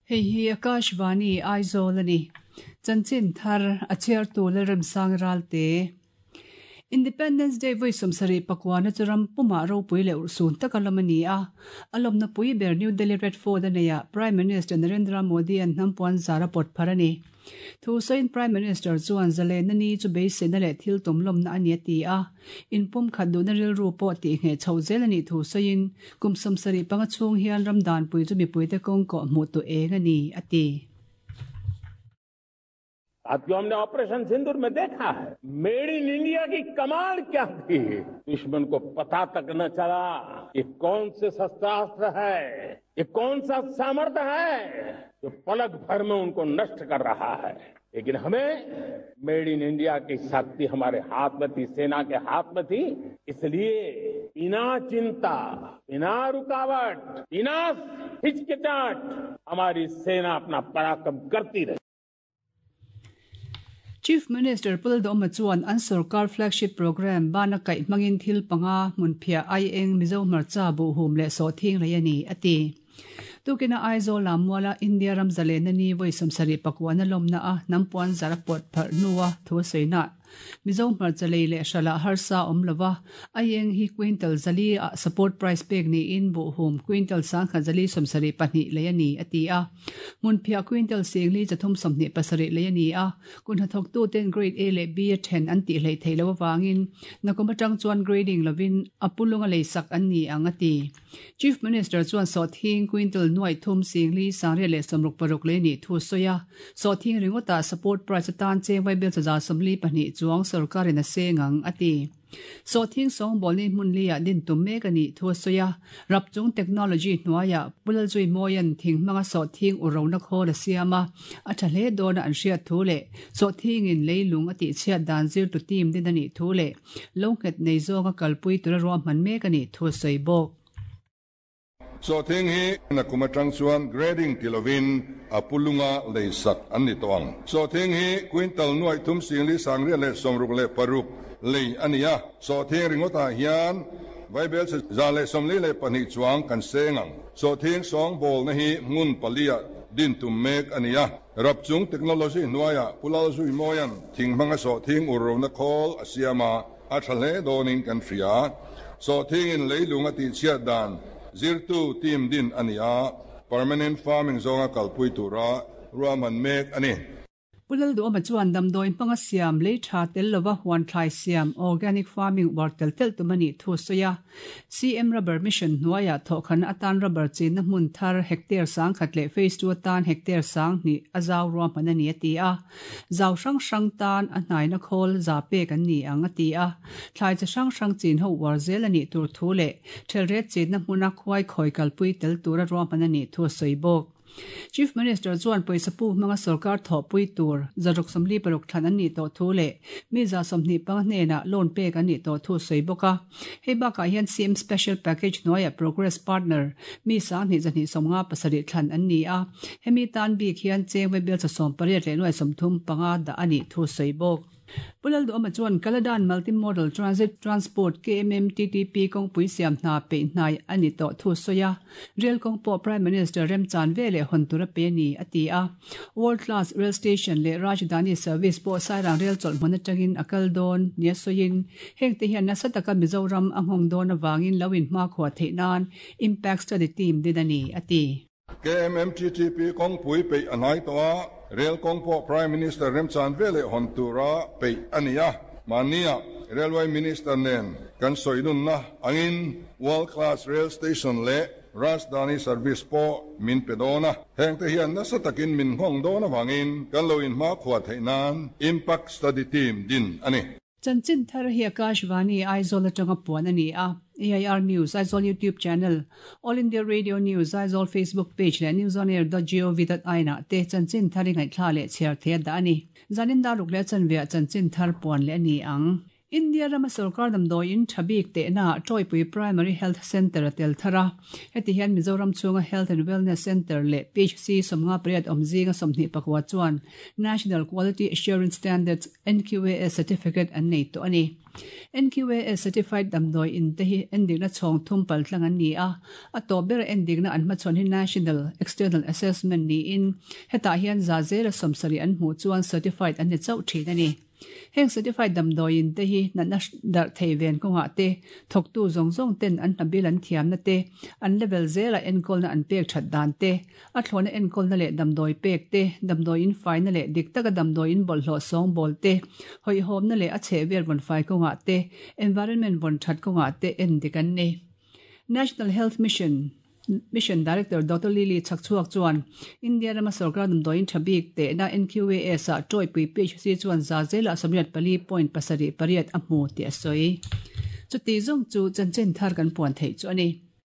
Hei hi Akashvani Aizawl a ni. Chanchin thar a chhiartu Lalremsang Ralte. Independence Day vawi 74 na chu ram pumah ropui leh urhsun taka lawm a ni a. A lawmna pui ber New Delhi Red Fort a neihah Prime Minister Narendra Modi an hnam puan zar a pawt phar a ni. Thu sawiin Prime Minister chuan zalenna ni chu beiseina leh thil tum lawmna a ni a ti a. Inpumkhat duhna rilru pawh tihngheh chho zel a nih thu sawiin kum 75 chhung hian ram danpui chu mipuite kawng kawh hmuh tu eng a ni, a ti. साथियों हमने ऑपरेशन सिंदूर में देखा है made in India की कमाल क्या थी दुश्मन को पता तक न चला कि कौन से शस्त्रास्त्र है ये कौन सा सामर्थ्य है जो पलक भर में उनको नष्ट कर रहा है लेकिन हमें made in India की शक्ति हमारे हाथ में थी सेना के हाथ में थी इसलिए बिना चिंता बिना रुकावट बिना हिचकिचाहट हमारी सेना अपना पराक्रम करती रही Chief Minister Pu Lalduhoma chuan an sorkar flagship programme bana kaih hmangin thil panga hmunphiah aieng Mizo hmarcha buhhum leh sawhthing rei a ni, a ti. Tukina Aizawl Lammuala India ram zalenna ni vawi 79 na lawmna a hnam puan zar a pawt pharh hnua thu a sawina. Mizo hmarcha lei leh hralah harsa a awm lova, aieng hi quintal 400 ah support price pek niin buhhum quintal 1172 lei a ni, a ti a. Hmunphiah quintal 4327 lei a ni a, kun hnathawktuten grade A leh B a then an tih hleih theih loh avangin nakum atang chuan grading lovin a pulung a leisak an ni ang, a ti. Chief Minister chuan sawhthing quintal 34,366 lei nih thu a sawi a, sawhthing ringawtah support price atan cheng vaibel 142 chuang sorkarin a seng ang, a ti. Sawhthing sawngbawlni hmun liah din tum mek a nih thu a sawi a, rapchung technology hnuaiah Pu Lalzuimawia'n thing hmanga sawhthing u rona khawl a siam a, a tha hle dawna an hriat thu leh sawhthingin leilung a tihchhiat dan zirtu team din a nih thu leh Lo nghet nei zawnga kalpui tura ruahman mek a nih thu a sawi bawk. Sawhthing hi nakum atang chuan grading ti lovin a pulunga lei sak an ni tawh ang. Sawhthing hi quintal 34,366 lei a ni a, sawhthing ringawtah hian vaibel chhe 142 chuang kan seng ang. Sawhthing sawngbawlna hi hmun paliah din tum mek a ni a. Rapchung technology hnuaiah Pu Lalzuimawia'n thing hmanga sawhthing ur rona khawl a siam a, a tha hle dawnin kan hria. Sawhthingin leilung a tihchhiat dan zirtu team din a ni a, permanent farming zawnga kalpui tura ruahman mek a ni. Pu Lalduhawma chuan damdawi hmanga siam lei tha tel lova huan thlai siam, organic farming, uar tel telh tum a nih thu a sawi a. CM Rubber Mission hnuaiah thawhkhanna atan rubber chinna hmun thar hectare 1000 leh phase 2 atan hectare 2000 a zau ruahman a ni a ti a. Zau hrang hrang tan a hnaina khawl za pek an ni ang a ti a. Thlai chi hrang hrang chin ho uar zel a nih tur thu leh thelret chinna hmuna khuai khawi kalpui tel tura ruahman a nih thu a sawi bawk. Chief Minister chuan pawisa puk hmanga sorkar thawhpui tur 146 thlan an nih tawh thu leh mi 25 hnenah loan pek an nih tawh thu a sawi bawk a. Hei bakah hian CM Special Package hnuaiah Progress Partner mi 2257 thlan an ni a, hemi tan bik hian cheng vaibel 18 leh nuai 35 dah a nih thu a sawi bawk. Pu Lalduhawma chuan Kaladan Multi-Modal Transit Transport, KMMTTP, kawngpui siam hna peih hnai a ni tawh thu sawi a, Rail kawng pawh Prime Minister remchan ve leh hawn tur a pe a ni, a ti a. World Class Rail Station leh Rajdhani Service pawh Sairang Rail chawlh hmun atangin a kal dawn nia sawiin, hengte hian nasa taka Mizoram a nghawng dawn avangin lo inhmakhua theih nan Impact Study Team din a ni, a ti. KMMTTP kawngpui peih a hnai tawh a, rel kawng pawh Prime Minister remchan ve leh hawn tura peih a ni a. Mahnia Railway Minister nen kan sawi nunna angin World Class Rail Station leh Rajdhani Service pawh min pe dawn a. Hengte hian nasa takin min nghawng dawn avangin kan lo inhmakhua theih nan Impact Study Team din a ni. Chanchin thar hi Akashvani Aizawl atanga puan a ni a, AIR News Aizawl YouTube channel, All India Radio News Aizawl Facebook page leh newsonair.gov.in ah te chanchin thar i ngaihthla leh chhiar thei a dah a ni. Zanin dar ruk leh chanveah chanchin thar puan leh a ni ang. India rama sorkar damdawiin tha bik tehnaah Tawipui Primary Health Centre a tel thar a. Heti hian Mizoram chhunga Health and Wellness Centre leh PHC 58 awm zinga 24 chuan National Quality Assurance Standards, NQAS, certificate an nei tawh a ni. NQAS certified damdawi in te hi endikna chhawng thum paltlang an ni a, a tawp bera endikna an hmachhawn hi National External Assessment niin hetah hian za zela 70 an hmuh chuan certified an ni chauh thin a ni. Heng certified damdawi in te hi natna darh thei ven kawngah te, thawktu zawng zawng ten an hnabil an thiamna te, an level zela enkawlna an pek that dan te, A thlawhna enkawlna leh damdawi pek te, damdawi in faina leh dik taka damdawi in bawlhhlawh sawngbawl te, hawihhawmna leh a chhehvel vawn fai kawngah te, environment vawn that kawngah te en dik an ni. National Health Mission Mission Director Doctor Lily Chhakchhuak chuan India rama sorkar damdawi in tha bik tehna NQAS ah tawipui PHC chuan za zelah 84.78 a hmu tih a sawi. Chuti zawng chu chanchin thar kan puan theih chu a ni.